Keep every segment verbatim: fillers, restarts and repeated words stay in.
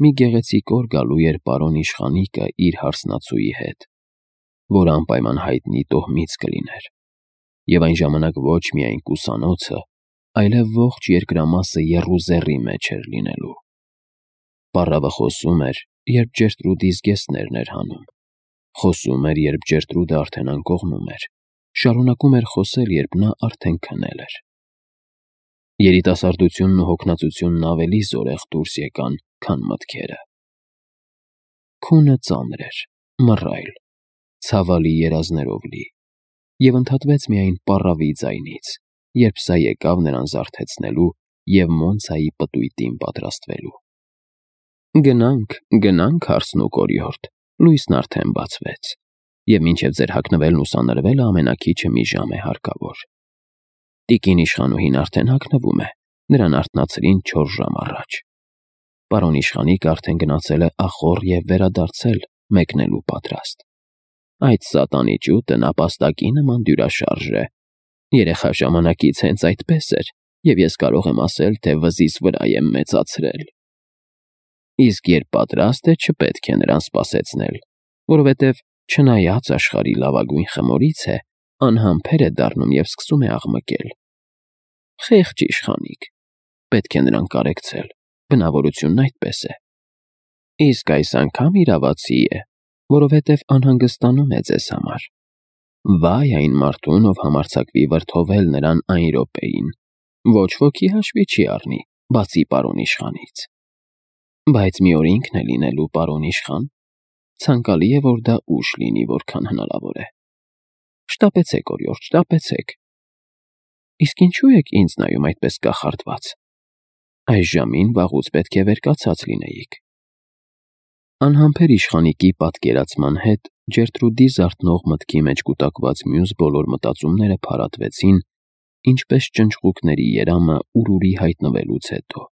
մի գեղեցիկ օր գալու էր պարոն իշխանիկը իր հարսնացուի հետ, որ անպայման հայտնի տոհմից կլիներ, և այն ժամանակ ոչ միայն կուսանոցը, այլև ողջ երկրամասը եռուզեռի մեջ էր լինելու։ Պառավը խոսում էր, երբ Ջերտրուդի զգեստներն էր հանում, խոսում էր, երբ Ջերտրուդը արդեն անկողնում էր, շարունակում էր խոսել, երբ նա արդեն քնել էր։ Երիտասարդությունն ու հոգնածությունն ավելի զորեղ դուրս եկան, քան մտքերը։ Քունը ծանր էր, մռայլ, ցավալի երազներով լի, և ընդհատվեց միայն պառավի ձայնից, երբ սա եկավ նրան զարթեցնելու և Մոնցայի պտույտին պատրաստվելու։ Գնանք, գնանք հարսն ու կորիորդ, լույսն արդեն բացվեց, և մինչև ձեր հագնվելն ու սանրվելը ամենաքիչը մի ժամ է հարկավոր։ Տիկին իշխանուհին արդեն հագնվում է, նրան արթնացրին չորս ժամ առաջ։ Պարոն իշխանիկը արդեն գնացել է ախոռ և վերադարձել, մեկնելու պատրաստ։ Այդ սատանի ճուտը նապաստակի նման դյուրաշարժ է։ Երեխա ժամանակից հենց այդպես էր, և ես կարող եմ ասել, թե վզիս վրա եմ մեծացրել։ Իսկ երբ պատրաստ է, չպետք է նրան սպասեցնել, որովհետև չնայած աշխարհի լավագույն խմորից է, անհամբեր է դառնում և սկսում է աղմկել։ Խեղճ իշխանիկ, պետք է նրան կարեկցել, բնավորությունն այդպես է։ Իսկ այս անգամ իրավացի է, որովհետև անհանգստանում է ձեզ համար։ Վայ այն մարդուն, ով համարձակվի վրդովել նրան այն րոպեին, ոչ ոքի հաշվի չի առնի, բացի պարոն իշխանից։ Բայց մի օր ինքն է լինելու պարոն իշխան, ցանկալի է, որ դա ուշ լինի, որքան հնարավոր է։ Շտապեցեք, օրիորդ, շտապեցեք։ Իսկ ինչու եք ինձ նայում այդպես կախարդված։ Այս ժամին վաղուց պետք է վերկացած լինեիք։ Անհամբեր իշխանիկի պատկերացման հետ Ջերտրուդի զարթնող մտքի մեջ կուտակված մյուս բոլոր մտածումները փարատվեցին, ինչպես ճնճղուկների երամը ուրուրի հայտնվելուց հետո։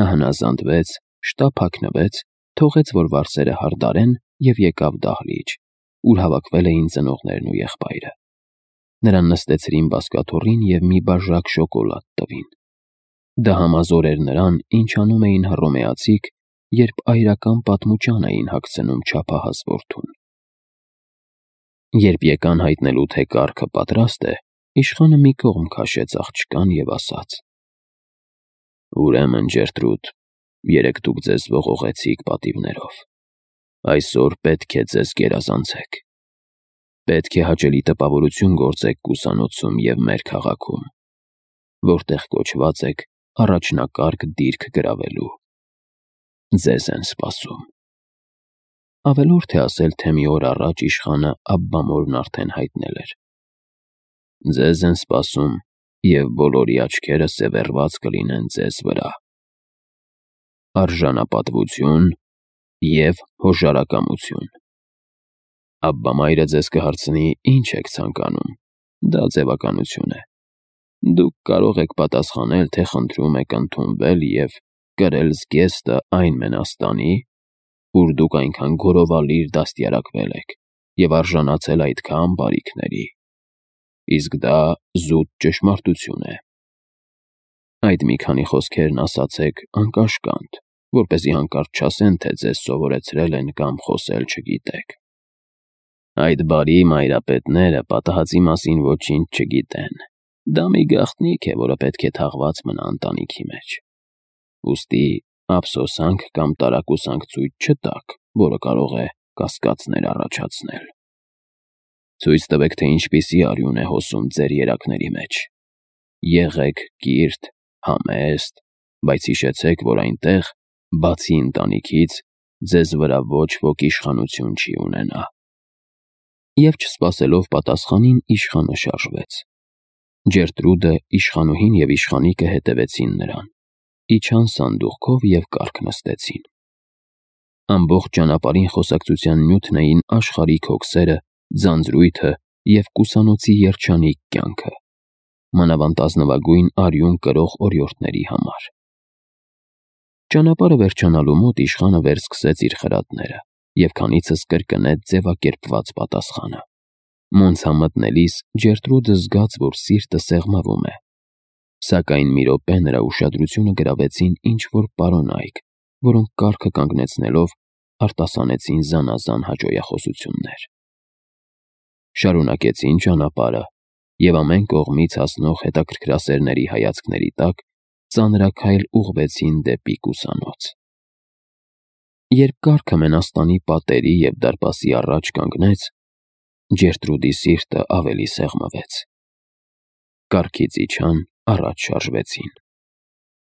Նա հնազանդվեց, շտապ հագնվեց, թողեց, որ վարսերը հարդարեն և եկավ դահլիճ, ուր հավաքվել էին ծնողներն ու եղբայրը։ Նրան նստեցրին բազկաթոռին և մի բաժակ շոկոլադ տվին։ Դա համազոր էր նրան, ինչ անում էին հռոմեացիք, երբ այրական պատմուճան էին հագցնում չափահաս որդուն։ Երբ եկան հայտնելու, թե կառքը պատրաստ է, իշխանը մի կողմ քաշեց աղջկան և ասաց. Ուրեմն, Ջերտրուդ, երեկ դուք ձեզ ողողեցիք պատիվներով։ Այսօր պետք է ձեզ գերազանցեք։ Պետք է հաճելի տպավորություն գործեք կուսանոցում և մեր քաղաքում, որտեղ կոչված եք առաջնակարգ դիրք գրավելու։ Ձեզ են սպասում։ Ավելորդ է ասել, թե մի օր առաջ իշխանը Աբբամորն արդեն հայտնել էր. Ձեզ են սպասում, և բոլորի աչքերը սևեռված կլինեն ձեզ վրա։ Արժանապատվություն և հոժարակամություն։ Աբբամայրը ձեզ կհարցնի, ինչ եք ցանկանում, դա ձևականություն է։ Դուք կարող եք պատասխանել, թե խնդրում եք ընդունվել և կրել զգեստը այն մենաստանի, ուր դուք այնքան գորովալիր դաստիարակվել եք և արժանացել այդքան բարիքների։ Իսկ դա զուտ ճշմարտություն է։ Այդ մի քանի խոսքերն ասացեք անկաշկանդ, որպեսզի հանկարծ չասեն, թե ձեզ սովորեցրել են կամ խոսել չգիտեք։ Այդ բարի մայրապետները պատահածի մասին ոչինչ չգիտեն։ Դա մի գաղտնիք է, որը պետք է թաղված մնա ընտանիքի մեջ։ Ուստի ափսոսանք կամ տարակուսանք ցույց չտաք, որը կարող է կասկածներ առաջացնել։ Ցույց տվեք, թե ինչպիսի արյուն է հոսում ձեր երակների մեջ։ Եղեք կիրթ, համեստ, բայց հիշեցեք, որ այնտեղ, բացի ընտանիքից, ձեզ վրա ոչ ոք իշխանություն չի ունենա։ Եվ չսպասելով պատասխանին, իշխանը շարժվեց։ Ջերտրուդը, իշխանուհին և իշխանիկը հետևեցին նրան, իջան սանդուղքով և կառք նստեցին։ Ամբողջ ճանապարհին խոսակցության նյութն էին աշխարհիկ հոգսերը, ձանձրույթը և կուսանոցի երջանիկ կյանքը, մանավանդ ազնվագույն արյուն կրող օրիորդների համար։ Ճանապարհը վերջանալու մոտ իշխանը վերսկսեց իր խրատները, և քանիցս կրկնեց ձևակերպված պատասխանը։ Մոնցա մտնելիս Ջերտրուդը զգաց, որ սիրտը սեղմվում է, սակայն մի րոպե նրա ուշադրությունը գրավեցին ինչ-որ պարոնայք, որոնք կարգը կանգնեցնելով արտասանեցին զանազան հաճոյախոսություններ։ Շարունակեցին ճանապարհը և ամեն կողմից հասնող հետաքրքրասերների հայացքների տակ ծանրաքայլ ուղղվեցին դեպի կուսանոց։ Երբ կառքը մենաստանի պատերի և դարպասի առաջ կանգնեց, Ջերտրուդի սիրտը ավելի սեղմվեց։ Կառքից իջան, առաջ շարժվեցին։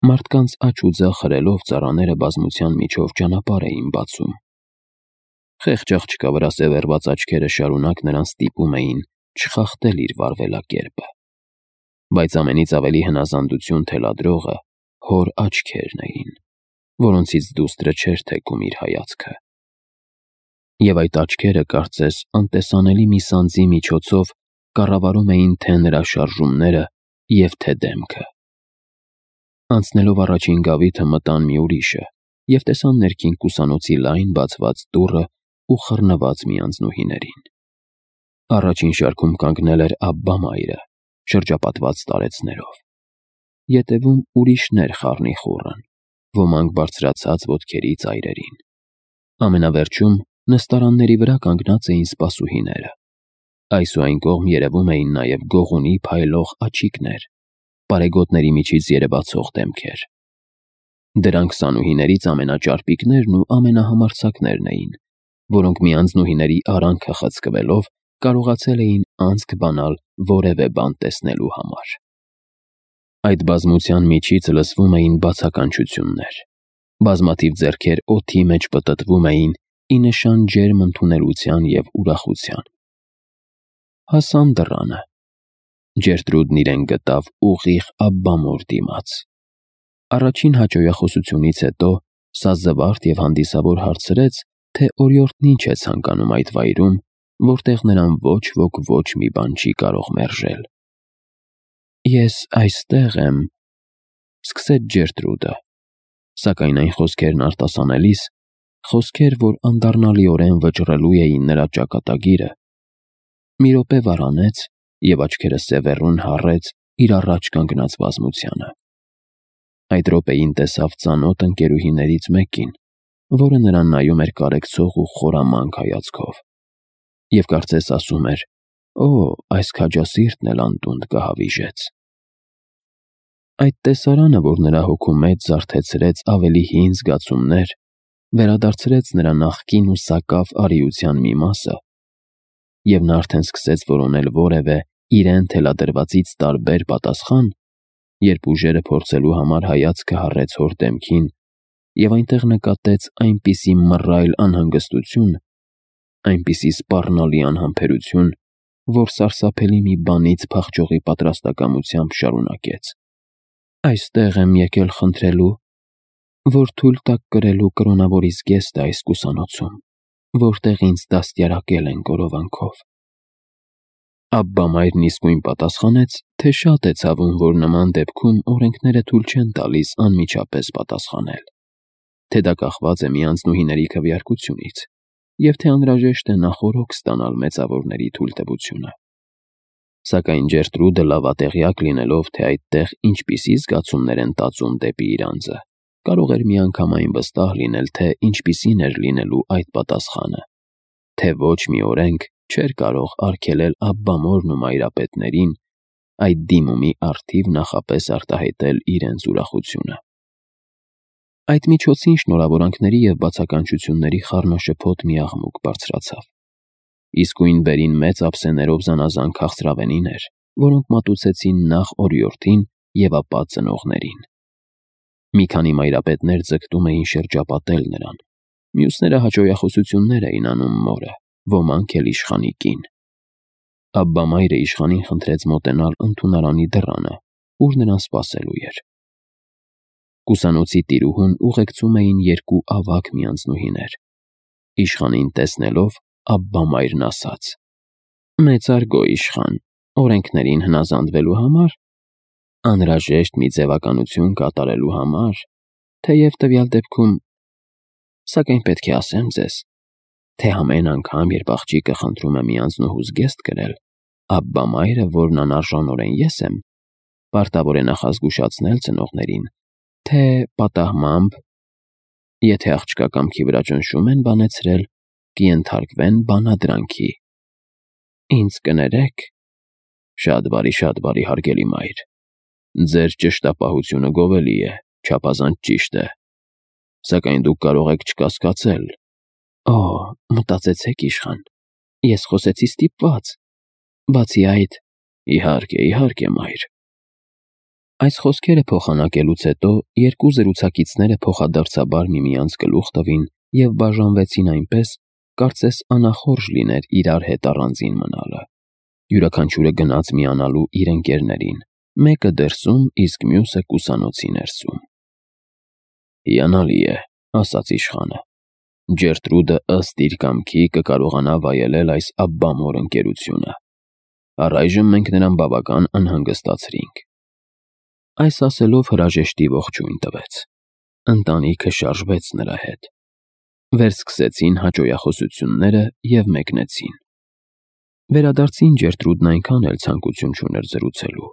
Մարդկանց աջ ու ձախ հրելով ծառաները բազմության միջով ճանապարհ էին բացում։ Խեղճ աղջկա վրա սևեռված աչքերը շարունակ նրան ստիպում էին չխախտել իր վարվելակերպը։ Բայց ամենից ավելի հնազանդություն թելադրողը հոր աչքերն էին, որոնցից դուստրը չէր թեքում իր հայացքը։ Եվ այդ աչքերը, կարծես, անտեսանելի մի սանձի միջոցով կառավարում էին թե նրա շարժումները և թե դեմքը։ Անցնելով առաջին գավիթը մտան մի ուրիշը և տեսան ներքին կուսանոցի լայն բացված դուռը ու խռնված մի անձնուհիներին։ Առաջին շարքում կանգնել էր Աբբա-մայրը, շրջապատված տարեցներով։ Ետևում ուրիշներ խառնիխուռն, ոմանք բարձրացած ոտքերի ծայրերին։ Ամենավերջում նստարանների վրա կանգնած էին սպասուհիները։ Այս ու այն կողմ երևում էին նաև գողունի փայլող աչիկներ, պարեգոտների միջից երևացող դեմքեր։ Դրանք սանուհիներից ամենաճարպիկներն ու ամենահամարձակներն էին, որոնք մի անձնուհիների արանքը խցկվելով կարողացել էին անցք բանալ որևէ բան տեսնելու համար։ Այդ բազմության միջից լսվում էին բացականչություններ։ Բազմաթիվ ձեռքեր օդի մեջ պտտվում էին ի նշան ջերմ ընդունելության և ուրախության։ Հասան դռանը։ Ջերտրուդն իրեն գտավ ուղիղ Աբբա-մոր դիմաց։ Առաջին հաճոյախոսությունից հետո սա զվարթ և հանդիսավոր հարցրեց, թե օրիորդն ինչ է ցանկանում այդ վայրում, որտեղ նրան ոչ ոք ոչ մի բան չի կարող մերժել։ «Ես այստեղ եմ», – սկսեց Ջերտրուդը, սակայն այն խոսքերն արտասանելիս, խոսքեր, որ անդառնալիորեն վճռելու էին նրա ճակատագիրը, մի րոպե վարանեց և աչքերը սևեռուն հառեց իր առաջ կանգնած բազմությանը։ Այդ րոպեին տեսավ ծանոթ ընկերուհիներից մեկին, որը նրան նայում էր կարեկցող ու խորամանկ հայացքով, և կարծես ասում էր. «Օ, այս քաջասիրտն էլ անտունդ կհավիժեց»։ Այդ տեսարանը, որ նրա հոգու մեջ զարթեցրեց ավելի հին զգացումներ, վերադարձրեց նրա նախկին ու սակավ արիության մի մասը, և նա արդեն սկսեց որոնել որևէ իրեն թելադրվածից տարբեր պատասխան, երբ ուժերը փորձելու համար հայացքը հառեց հոր դեմքին և այնտեղ նկատեց այնպիսի մռայլ անհանգստություն, այնպիսի սպառնալի անհամբերություն, որ սարսափելի մի բանից փախչողի պատրաստակամությամբ շարունակեց. «Այստեղ եմ եկել խնդրելու, որ թույլ տաք կրելու կրոնավորիս զգեստը այս կուսանոցում, որտեղ ինձ դաստիարակել են գորովանքով»։ Աբբա-մայրն իսկույն պատասխանեց, թե շատ է ցավում, որ նման դեպքում օրենքները թույլ չեն տալիս անմիջապես պատասխանել, թե դա կախված է մի անձնուհիների քվեարկությունից, և թե անհրաժեշտ է նախօրոք ստանալ մեծավորների թույլտվությունը։ Սակայն Ջերտրուդը լավատեղյակ լինելով, թե այդտեղ ինչպիսի զգացումներ են տածում դեպի իր անձը, կարող էր միանգամայն վստահ լինել, թե ինչպիսին էր լինելու այդ պատասխանը, թե ոչ մի օրենք չէր կարող արգելել Աբբա-մորն ու մայրապետներին այդ դիմումի առթիվ նախապես արտահայտել իրենց ուրախությունը։ Այդ միջոցին շնորհավորանքների և բացականչությունների խառնաշփոթ մի աղմուկ բարձրացավ։ Իսկույն վերին մեծ ափսեներով զանազան քաղցրավենիներ, որոնք մատուցեցին նախ օրիորդին և ապա ծնողներին։ Մի քանի մայրապետներ ձգտում էին շրջապատել նրան, մյուսները հաճոյախոսություններ էին անում մորը, ոմանք էլ իշխանի կին։ Աբբա-մայրը իշխանին խնդրեց մոտենալ ընդունարանի դռանը, ուր նրան սպասելու էր։ Կուսանոցի տիրուհուն ուղեկցում էին երկու ավագ մի անձնուհիներ։ Իշխանին տեսնելով, Աբբա-մայրն ասաց. «Մեծարգո իշխան, օրենքներին հնազանդվելու համար, անհրաժեշտ մի ձևականություն կատարելու համար, թեև տվյալ դեպքում, սակայն պետք է ասեմ ձեզ, թե ամեն անգամ, երբ աղջիկը խնդրում է մի անձնուհու զգեստ կրել, Աբբա-մայրը, որն անարժանորեն ես եմ, պարտավոր է նախազգուշացնել ծնողներին, թե պատահմամբ Եթե աղջկա կամքի վրա ճնշում են բանեցրել, կենթարկվեն բանադրանքի։ Ինձ կներեք։ Շատ բարի, շատ բարի, հարգելի մայր։ Ձեր ճշտապահությունը գովելի է, չափազանց ճիշտ է։ Սակայն դուք կարող եք չկասկածել։ Օ, մտածեցեք, իշխան, ես խոսեցի ստիպված։ Բացի այդ, իհարկե, իհարկե, մայր։ Այս խոսքերը փոխանակելուց հետո երկու զրուցակիցները փոխադարձաբար միմյանց գլուխ տվին և բաժանվեցին այնպես, կարծես անախորժ լիներ իրար հետ առանձին մնալը։ Յուրաքանչյուրը գնաց միանալու իր ընկերներին, մեկը դրսում, իսկ մյուսը կուսանոցի ներսում։ Հիանալի է, ասաց իշխանը։ Ջերտրուդը ըստ իր կամքի կկարողանա վայելել այս աբբամոր ընկերությունը։ Առայժմ մենք նրան բավական անհանգստացրինք։ Այս ասելով հրաժեշտի ողջույն տվեց։ Ընտանիքը շարժվեց նրա հետ։ Վերսկսեցին հաճոյախոսությունները և մեկնեցին։ Վերադարձին Ջերտրուդն այնքան էլ ցանկություն չուներ զրուցելու։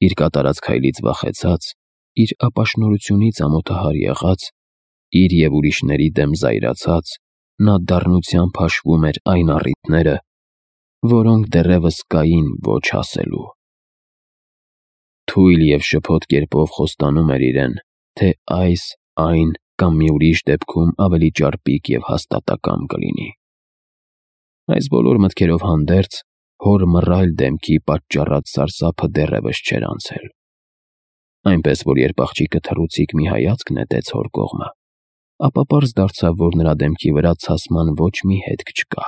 Իր կատարած քայլից վախեցած, իր ապաշնորհությունից ամոթահար եղած, իր և ուրիշների դեմ զայրացած, նա դառնությամբ հաշվում էր այն առիթները, որոնք դեռևս կային ոչ ասելու։ Թույլ և շփոթ կերպով խոստանում էր իրեն, թե այս, այն կամ մի ուրիշ դեպքում ավելի ճարպիկ և հաստատակամ կլինի։ Այս բոլոր մտքերով հանդերձ, հոր մռայլ դեմքի պատճառած սարսափը դեռևս չէր անցել։ Այնպես որ երբ աղջիկը թռուցիկ մի հայացք նետեց հոր կողմը, ապա պարզ դարձավ, որ նրա դեմքի վրա ցասման ոչ մի հետք չկա։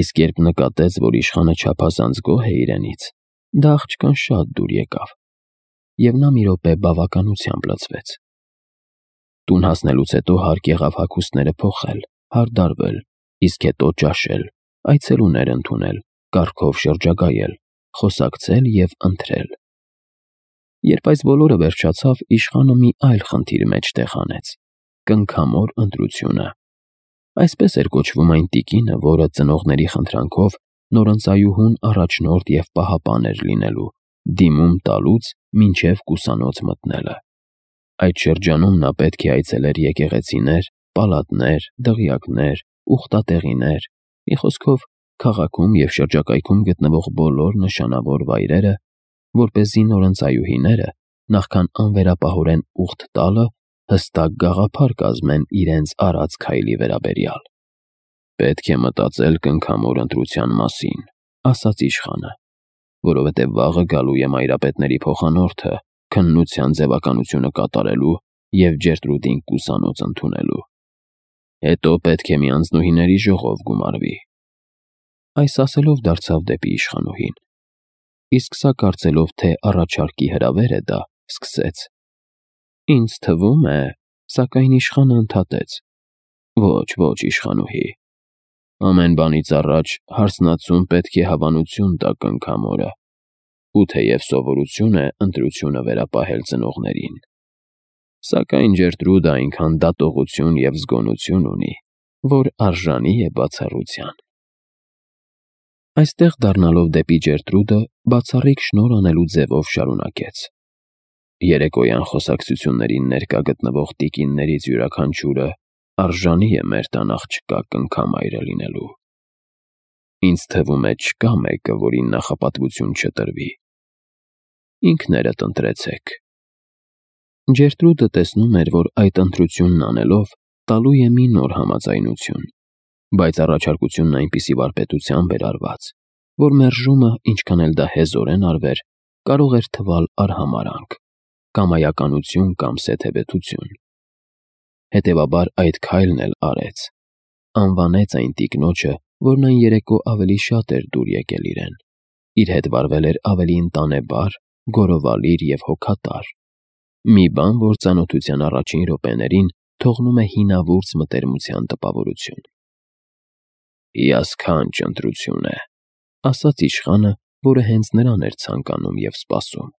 Իսկ երբ նկատեց, որ իշխանը չափազանց գոհ է իրենից, դա աղջկան շատ դուր եկավ, և նա մի րոպե բավականությամբ լցվեց։ Տուն հասնելուց հետո հարկ եղավ հագուստները փոխել, հարդարվել, իսկ հետո ճաշել, այցելուներ ընդունել, կառքով շրջագայել, խոսակցել և ընթրել։ Երբ այս բոլորը վերջացավ, իշխանը մի այլ խնդիր մեջտեղ հանեց՝ կնքամոր ընտրությունը։ Այսպես էր կոչվում այն տիկինը, որը ծնողների խնդրանքով նորընծայուհուն առաջնորդ և պահապան էր լինելու, դիմում տալուց մինչև կուսանոց մտնելը։ Այդ շրջանում նա պետք է այցելեր եկեղեցիներ, պալատներ, դղյակներ, ուխտատեղիներ, մի խոսքով, քաղաքում և շրջակայքում գտնվող բոլոր նշանավոր վայրերը, որպեսզի նորընծայուհիները, նախքան անվերապահորեն ուխտ տալը, հստակ գաղափար կազմեն իրենց արած քայլի վերաբերյալ։ Պետք է մտածել կնքամոր ընտրության մասին, ասաց իշխանը, որովհետև վաղը գալու է մայրապետների փոխանորդը քննության ձևականությունը կատարելու և Ջերտրուդին կուսանոց ընդունելու։ Հետո պետք է մի անձնուհիների ժողով գումարվի։ Այս ասելով դարձավ դեպի իշխանուհին, իսկ սա կարծելով, թե առաջարկի հրավեր է դա, սկսեց. Ինձ թվում է, սակայն իշխանը ընդհատեց. Ոչ, ոչ, իշխանուհի։ Ամեն բանից առաջ հարսնացուն պետք է հավանություն տա կնքամորը, ու թեև սովորություն է ընտրությունը վերապահել ծնողներին, սակայն Ջերտրուդը այնքան դատողություն և զգոնություն ունի, որ արժանի է բացառության։ Այստեղ դառնալով դեպի Ջերտրուդը, բացառիկ շնորհ անելու ձևով շարունակեց. Երեկոյան խոսակցություններին ներկա գտնվող տիկիններից յուրաքանչյուրը արժանի է մեր տան աղջկա կնքամայրը լինելու։ Ինձ թվում է չկա մեկը, որին նախապատվություն չտրվի։ Ինքներդ ընտրեցեք։ Ջերտրուդը տեսնում էր, որ այդ ընտրությունն անելով տալու է մի նոր համաձայնություն, բայց առաջարկությունն այնպիսի վարպետությամբ էր արված, որ մերժումը, ինչքան էլ դա հեզորեն արվեր, կարող էր թվալ արհամարհանք, կամայականություն կամ սեթևեթություն։ Հետևաբար այդ քայլն էլ արեց, անվանեց այն տիկնոջը, որն այն երեկո ավելի շատ էր դուր եկել իրեն, իր հետ վարվել էր ավելի ընտանեբար, գորովալիր և հոգատար, մի բան, որ ծանոթության առաջին րոպեներին թողնում է հինավուրց մտերմության տպավորություն։ Հիասքանչ ընտրություն է, ասաց իշխանը, որը հենց նրան էր ցանկանում և սպասում։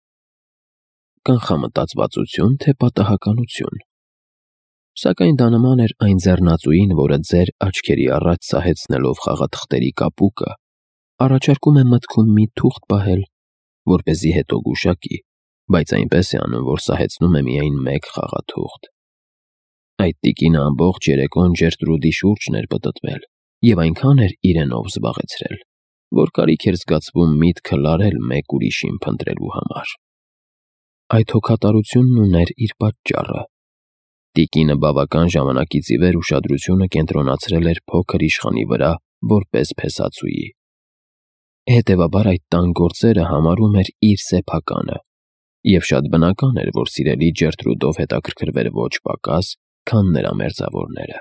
Կանխամտածվածություն, թե պատահականություն։ Սակայն դա նման էր այն ձեռնածուին, որը ձեր աչքերի առաջ սահեցնելով խաղաթղթերի կապուկը, առաջարկում է մտքում մի թուղթ պահել, որպեսզի հետո գուշակի, բայց այնպես է անում, որ սահեցնում է միայն մեկ խաղաթուղթ։ Այդ տիկինը ամբողջ երեկոն Ջերտրուդի շուրջն էր պտտվել և այնքան էր իրենով զբաղեցրել, որ կարիք էր զգացվում միտքը լարել մեկ ուրիշին փնտրելու համար։ Այդ հոգատարությունն ուներ իր պատճառը։ Տիկինը բավական ժամանակից ի վեր ուշադրությունը կենտրոնացրել էր փոքր իշխանի վրա որպես փեսացուի։ Հետևաբար այդ տան գործերը համարում էր իր սեփականը, և շատ բնական էր, որ սիրելի Ջերտրուդով հետաքրքրվեր ոչ պակաս, քան նրա մերձավորները։